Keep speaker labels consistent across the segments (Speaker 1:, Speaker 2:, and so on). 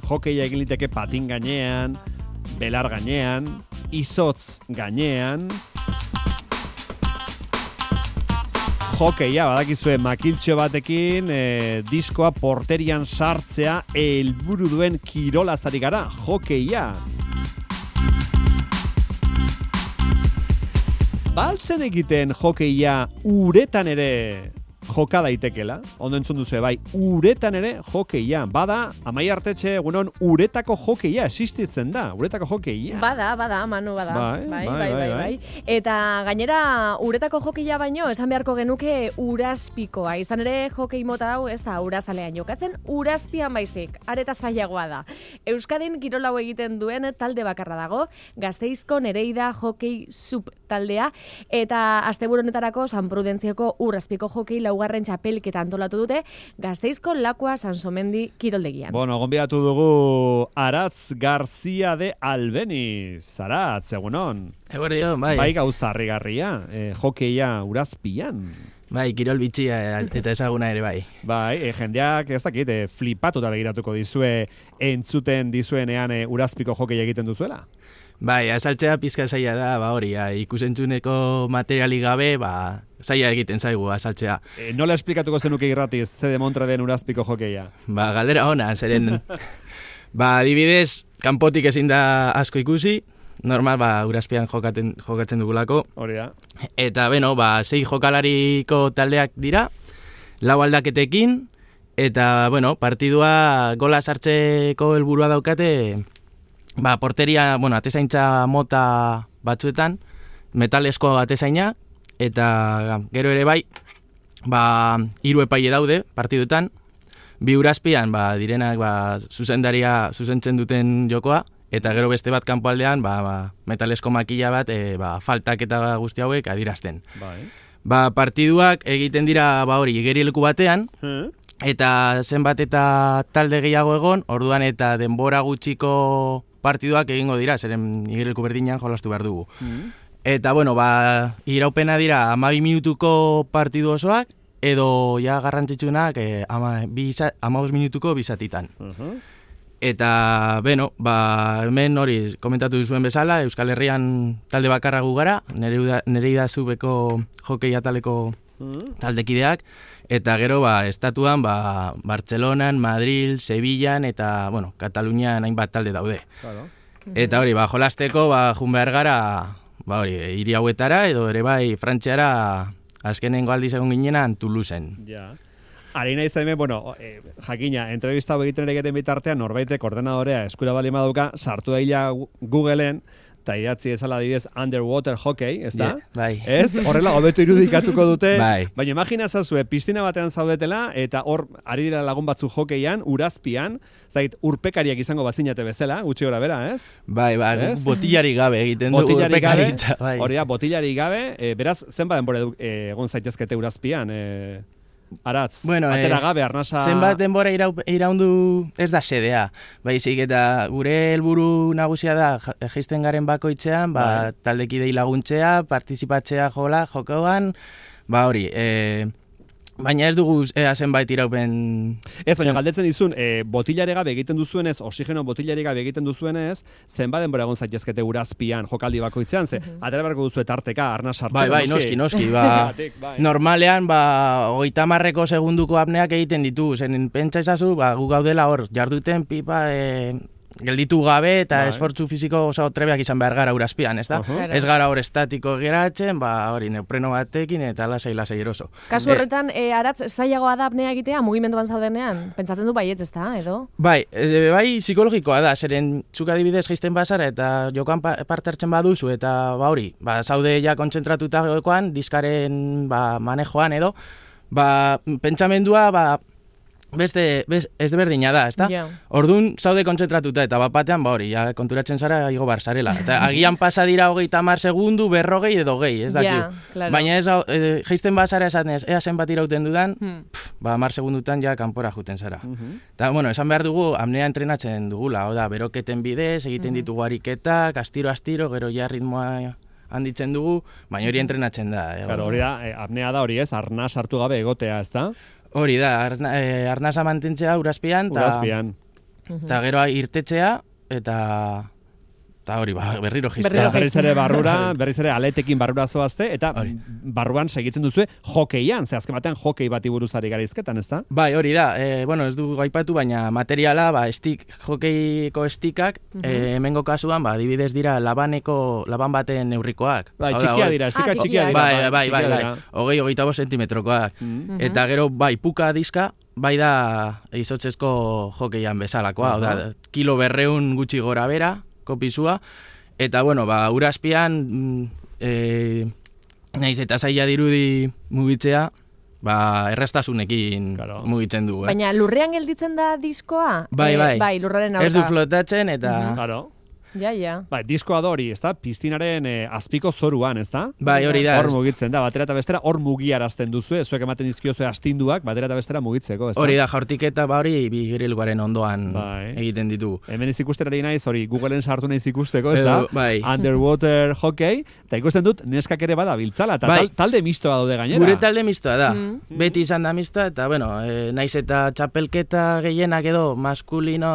Speaker 1: Hokeia egin liteke patin gainean, belar gainean, izotz gainean. Hokeia, badakizue makiltxo batekin diskoa porterian sartzea helburu duen kirolaz ari gara, hokeia. Baltzen egiten hokeia uretan ere joka daitekela, ondo entzun duzu bai, uretan ere hokeia. Bada, Amai Artetxe, egunon, uretako hokeia existitzen da, uretako hokeia.
Speaker 2: Bada, Manu, bada. Bai. Eta gainera, uretako hokeia baino, esan beharko genuke urazpikoa. Izan ere, hokei mota hau ez da urazalean jokatzen, urazpian baizik, areta zailagoa da. Euskadin kirolau egiten duen talde bakarra dago, Gasteizko Nereida Hokei Sub taldea, eta asteburu honetarako San Prudentzioko urazpiko hokei laugarren txapelketa antolatu dute Gasteizko Lakua Sansomendi kiroldegian.
Speaker 1: Bueno, gonbidatu dugu Aratz Garzia de Albeniz. Aratz, egunon.
Speaker 3: Eguerdion, bai.
Speaker 1: Bai gauza harrigarria, hokeia urazpian.
Speaker 3: Bai, kirol bitxia eta ezaguna ere bai.
Speaker 1: Bai, jendeak ez dakit, flipatuta begiratuko dizue entzuten dizuenean urazpiko hokeia egiten duzuela.
Speaker 3: Bai, azaltzea pizka zaila da, hori, ikusentzuneko materiali gabe, zaila egiten zaigu azaltzea.
Speaker 1: Nola esplikatuko zenuke irratiz, ze demontre den urazpiko hokeia?
Speaker 3: Galdera ona, zeren, adibidez, kanpotik ezin da asko ikusi, normal, urazpian jokatzen dugulako.
Speaker 1: Hori da.
Speaker 3: Eta, 6 jokalariko taldeak dira, 4 aldaketekin, eta, partidua gola sartzeko helburua daukate, porteria, atezaintza mota batzuetan, metalesko atezaina, eta gero ere bai, 3 epaile daude partiduetan, 2 urazpian, direnak, zuzendaria zuzentzen duten jokoa, eta gero beste bat kanpoaldean, metalesko makila bat, faltak eta guzti hauek adirazten. Partiduak egiten dira, igerileku batean, eta zenbat eta talde gehiago egon, orduan eta denbora gutxiko partiduak egingo dira, zeren igerileku berdinean jolastu behar dugu. Eta, iraupena dira 12 minutuko partidu osoak, edo ja garrantzitsunak 15 minutuko bizatitan. Eta, hemen hori komentatu duzuen bezala, Euskal Herrian talde bakarra gu gara, Nereida Subeko hokei ataleko taldekideak, eta gero, estatuan, Bartzelonan, Madril, Sevillan, eta, Katalunian hainbat talde daude.
Speaker 1: Claro.
Speaker 3: Eta hori, jolasteko, jun behar gara, hiri hauetara, edo ere bai, Frantziara, azkenengo aldiz egon ginenan, Toulouseen.
Speaker 1: Ja. Harina izan hemen, jakina, entrevista hau egiten egiten bitartean, norbaitek ordenadorea eskura bali maduka, sartu daila Googleen, eta idatzi ezala adibidez underwater hockey, ez da?
Speaker 3: Bai.
Speaker 1: Ez? Horrela, hobeto irudikatuko dute.
Speaker 3: Bai.
Speaker 1: Baina imagina zazue, piztina batean zaudetela, eta hor, ari dira lagun batzu hokeian, urazpian, zait, urpekariak izango bazinate bezala, gutxi gora bera, ez?
Speaker 3: Bai, botillari gabe egiten dugu urpekaritza.
Speaker 1: Hori da, botillari gabe, beraz, zenbat denbora egon zaitezkete urazpian, Aratz, atera gabe, arnasa...
Speaker 3: Zenbat denbora iraundu ez da sedea. Baizik eta gure helburu nagusia da jaisten garen bakoitzean, taldekidei laguntzea, partizipatzea jokoan, hori, baina ez dugu zenbait iraupen...
Speaker 1: Ez, baina galdetzen dizun, botillare gabe egiten duzuenez, oxigeno botillare gabe egiten duzuenez, zenbat denbora egon zaitezkete urazpian jokaldi bakoitzean, atera beharko duzu tarteka, arna sartu.
Speaker 3: Bai, noski. Normalean, 30 segunduko apneak egiten ditu, zen pentsa ezazu, gu gaudela hor, jarduten pipa... gelditu gabe eta esfortzu fisiko oso trebeak izan behar gara urazpian, ez da? Ez gara hor estatiko geratzen, hori neopreno batekin eta lasai eroso.
Speaker 2: Kasu horretan, Aratz, zailagoa da apnea egitea, mugimenduan zaudenean? Pentsatzen du baietz, ez da, edo?
Speaker 3: Bai, psikologikoa da, zeren zuk adibidez jaisten bazara eta jokoan parte hartzen baduzu eta hori, zaude ja kontzentratuta jokoan, diskaren manejoan edo, pentsamendua, beste ez berdina da, ezta?
Speaker 2: Yeah.
Speaker 3: Orduan zaude kontzentratuta eta batean hori, konturatzen zara igo bar zarela. Eta agian pasa dira 30 segundu, 40 edo gehi, ez daki.
Speaker 2: Claro.
Speaker 3: Baina ez jaisten bazara esanez, ea zenbat irauten dudan, 10 segundutan ja kanpora juten zara. Eta, esan behar dugu, apnea entrenatzen dugula, oda, beroketen bidez, egiten ditugu ariketak, astiro, gero ja ritmoa handitzen dugu, baina hori entrenatzen da.
Speaker 1: Claro, hori da, apnea da hori ez, arnaz hartu gabe egotea, ez da?
Speaker 3: Hori da, arnaza mantentzea urazpian.
Speaker 1: Urazpian.
Speaker 3: Eta gero irtetzea, eta hori, berriro jistea.
Speaker 1: Berriz ere barrura, berriz ere aletekin barrura zoazte, eta barruan segitzen duzue hokeian, ze azken batean hokei bati buruzari garizketan, ez da?
Speaker 3: Bai, hori da, ez du gaipatu, baina materiala, hokeiko estikak, hemengo kasuan, adibidez dira laban baten neurrikoak.
Speaker 1: Bai, txikia dira, estika txikia dira.
Speaker 3: Bai, 25 sentimetrokoak. Eta gero, puka diska, bai da izotzezko hokeian bezalakoa, kilo 200 gutxi gora bera, kopisua, eta urazpian naiz eta zaila dirudi mugitzea, erraztasunekin mugitzen dugu.
Speaker 2: Baina lurrean gelditzen da diskoa?
Speaker 3: Bai,
Speaker 2: lurraren
Speaker 3: ez du flotatzen, eta...
Speaker 2: Ja.
Speaker 1: Bai, diskoa da hori, ez da? Piztinaren azpiko zoruan, ez da?
Speaker 3: Bai, hori da.
Speaker 1: Hor mugitzen da, batera eta bestera, hor mugiarazten duzue, zuek ematen dizkiozue astinduak, batera eta bestera mugitzeko, ez da?
Speaker 3: Hori da, jaurtik eta hori bigiriluaren ondoan egiten ditugu.
Speaker 1: Hemen ikusterari naiz, hori Googleen sartu naiz ikusteko, ez da?
Speaker 3: Bai.
Speaker 1: Underwater hockey, eta ikusten dut, neskak ere bada biltzala, eta talde mistoa daude gainera.
Speaker 3: Gure talde mistoa da. Beti izan da mistoa, eta naiz eta txapelketa gehienak edo maskulino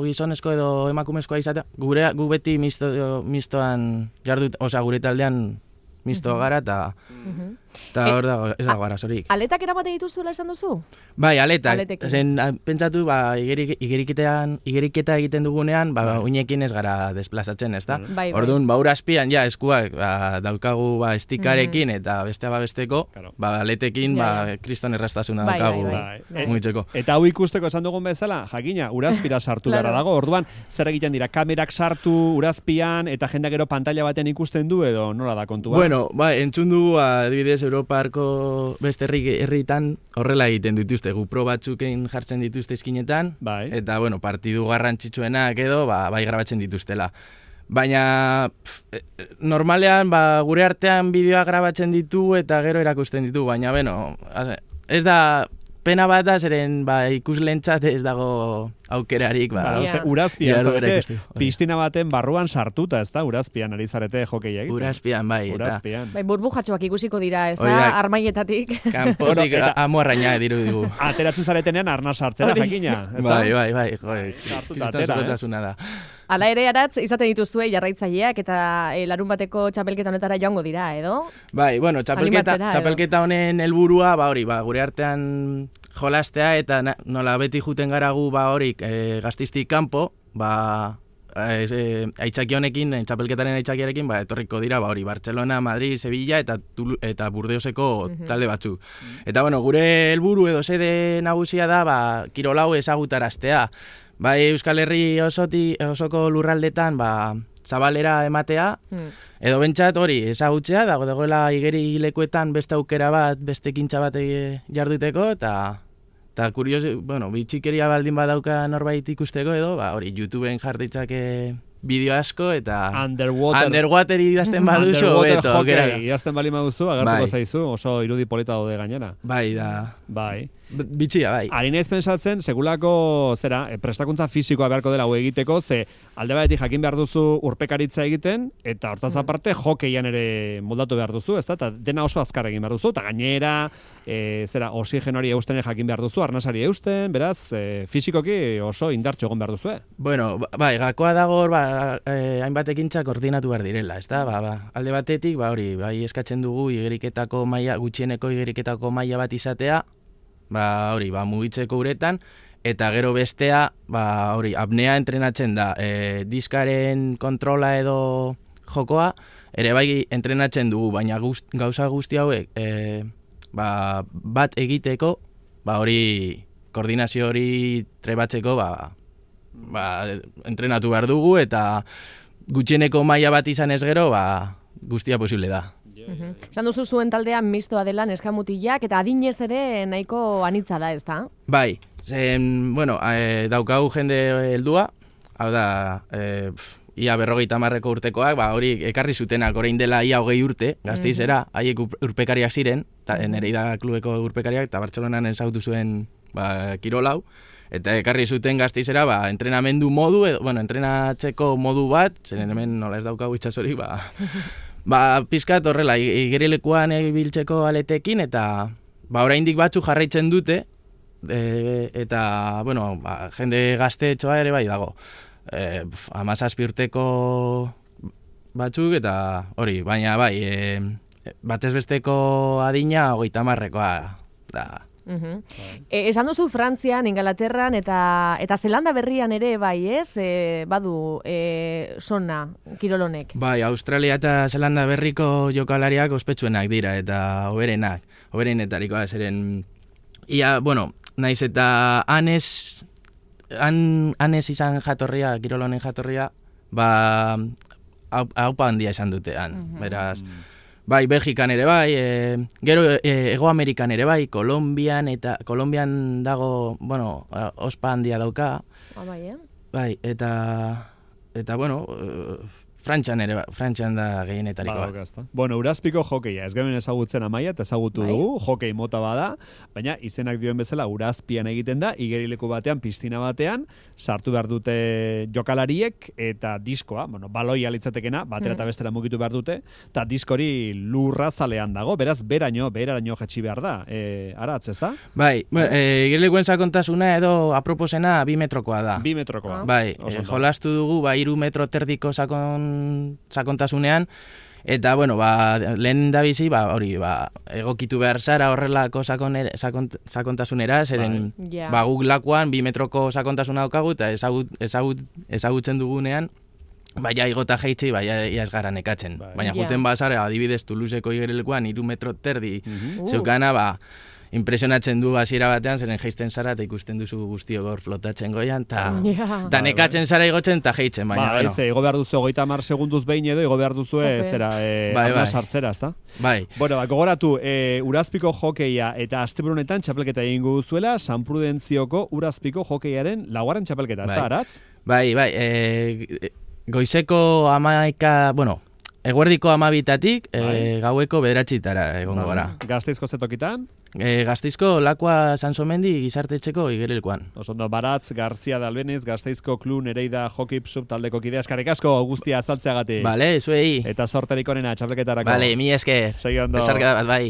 Speaker 3: gizonezko edo emakumezkoa izatea, gu beti mistoan jardut, gure taldean mistoa gara, eta hor da, ez da gara, zorik.
Speaker 2: Aletak erabate dituzuela esan duzu?
Speaker 3: Bai, aletak. Zen, pentsatu, igeriketa egiten dugunean, uinekin ez gara desplazatzen, ez da? Orduan, urazpian, eskuak daukagu estikarekin, eta bestea besteko, aletekin, kriston erraztasuna daukagu mugitzeko.
Speaker 1: Eta hau ikusteko esan dugun bezala, jakina, urazpira sartu gara dago, orduan, zer egiten dira, kamerak sartu urazpian, eta jendak gero pantalla baten ikusten du, edo nola da kontua?
Speaker 3: Bueno, entzun dugu, adibidez, Europarko beste herritan horrela egiten dituzte, GoPro batzuken jartzen dituzte eskinetan, eta, partidu garrantzitsuenak edo, bai grabatzen dituztela. Baina, normalean, gure artean bideoa grabatzen ditu eta gero erakusten ditu, baina, ez da... Pena bat da, zeren ikuslentzat ez dago aukerarik.
Speaker 1: Urazpian zarete, piztina baten barruan sartuta, ez da? Urazpian ari zarete hokei egiten.
Speaker 3: Urazpian, bai.
Speaker 2: Burbujatxoak ikusiko dira, ez da? Armaietatik.
Speaker 3: Kanpotik amuarraina diru digu.
Speaker 1: Ateratzen zaretenean arna sartzera, jakina.
Speaker 3: Bai.
Speaker 1: Sartuta atera,
Speaker 2: Hala ere, Aratz, izaten dituzue jarraitzaileak eta larun bateko txapelketa honetara joango dira, edo?
Speaker 3: Bai, txapelketa honen helburua, gure artean jolastea eta nola beti juten gara gu gaztistik kanpo, aitzaki honekin, txapelketaren aitzakiarekin, etorriko dira, Barcelona, Madrid, Sevilla eta Burdeoseko talde batzuk. Eta, gure helburu edo sede nagusia da, kirolau ezagutaraztea. Euskal Herri osoko lurraldetan zabalera ematea, edo bentsat hori ezagutzea, dagoela igerilekuetan beste aukera bat, beste ekintza bat jarduteko, eta kuriosi, bitxikeria baldin badauka norbait ikusteko edo, hori YouTubeen jarditzake bideo asko, eta underwater idazten baduzu,
Speaker 1: underwater hockey idazten bali baduzu, agertuko zaizu, oso irudi polita daude gainera.
Speaker 3: Bai. Bitxia, bai.
Speaker 1: Ari naiz pensatzen, segulako, prestakuntza fisikoa beharko dela hau egiteko, ze alde batetik jakin behar duzu urpekaritza egiten, eta hortaz aparte hokeian ere moldatu behar duzu, ez da? Eta dena oso azkar egin behar duzu, eta gainera, oxigenoari eusten jakin behar duzu, arnasari eusten, beraz, fisikoki oso indartxo egon behar duzu,
Speaker 3: Bai, gakoa dago, hainbat ekintza koordinatu behar direla, ez da? Alde batetik, bai eskatzen dugu igeriketako maila, gutxieneko igeriketako maila bat izatea, mugitzeko uretan, eta gero bestea, apnea entrenatzen da, diskaren kontrola edo jokoa, ere bai entrenatzen dugu, baina gauza guzti hauek, bat egiteko, koordinazio hori trebatzeko, entrenatu behar dugu, eta gutxieneko maila bat izan ez gero, guztia posible da.
Speaker 2: Esan duzu zuen taldean mistoa dela neskamutilak, eta adinez ere nahiko anitza da, ez da?
Speaker 3: Bai, daukagu jende heldua, hau da, ia 50 urtekoak, hori ekarri zutenak, orain dela ia 20 urte, Gasteizera, haiek urpekariak ziren, Nereida klubeko urpekariak, eta Bartzelonan ezagutu zuen kirolau, eta ekarri zuten Gasteizera, entrenamendu modu, entrenatzeko modu bat, zeren hemen nola ez daukagu itxasorik, pizkat horrela, igerilekuan biltzeko aletekin, eta oraindik batzu jarraitzen dute, eta, bueno, jende gaztetxoa ere bai dago. 17 urteko batzuk eta hori, baina bai, batez besteko adina 30-rekoa da.
Speaker 2: Esan duzu Frantzian, Ingalaterran eta Zelanda berrian ere bai, ez? Badu sona kirolonek.
Speaker 3: Bai, Australia eta Zelanda berriko jokalariak ospetsuenak dira eta hoberenetarikoa zeren ia, bueno, naiz eta Anes izan jatorria, kirolonen jatorria, haupa handia esan dutean, beraz. Bai, Belgikan ere bai, gero Ego Amerikan ere bai, Kolombian dago, bueno, ospa handia dauka. Bai, eta bueno, Frantzian da gehienetarikoa.
Speaker 1: Bueno, Urazpiko hokeia, ez gaben ezagutzen Amaia, eta ezagutu dugu, hokei mota bada, baina izenak dioen bezala Urazpian egiten da, igerileku batean, piztina batean, sartu behar dute jokalariek, eta diskoa, bueno, baloi alitzatekena, batera eta bestera mugitu behar dute, eta diskori lurrazalean dago, beraz, beraino jetxi behar da, aratz, ez da?
Speaker 3: Bai, igerilekuen sakontasuna edo aproposena 2 metrokoa da.
Speaker 1: 2 metrokoa.
Speaker 3: Bai, jolastu dugu, 3 metro terdiko sakontasunean, eta, bueno, lehen da bizi, hori, egokitu behar zara horrelako sakontasunera, zeren, guk lakuan 2 metroko sakontasuna daukagu, eta ezagutzen dugunean, baina igota jeitzi, baina iaz gara nekatzen. Baina juten bazara, adibidez, Toulouseko igerilekuan 3 metro terdi zeukana, impresionatzen du hasiera batean, zeren jeisten zara, eta ikusten duzu guztiok hor flotatzen goian, eta nekatzen zara igotzen, eta jeitzen, baina, bueno.
Speaker 1: Igo behar duzu 30 segunduz behin edo, igo behar duzu ama sartzera, ezta?
Speaker 3: Bai.
Speaker 1: Bueno, gogoratu, Urazpiko hokeia eta asteburunetan txapelketa egingo duzuela, San Prudentzioko Urazpiko hokeiaren 4. txapelketa, ezta, aratz?
Speaker 3: Bai, goizeko 11, bueno, eguerdiko 12-tatik, gaueko 9-tara egongo gara.
Speaker 1: Gasteizko zetokitan?
Speaker 3: Gasteizko Lakua Sansomendi gizartetxeko igerilekuan.
Speaker 1: Osondo, Baratz, Garzia de Albeniz, Gasteizko Klu Nereida Hockey Sub taldeko kidea. Eskarrik asko, guztia azaltzeagatik.
Speaker 3: Bale, zuei.
Speaker 1: Eta sorterik onena txapelketarako.
Speaker 3: Bale, mi esker.
Speaker 1: Segi ondo.
Speaker 3: Besarka bat, bai.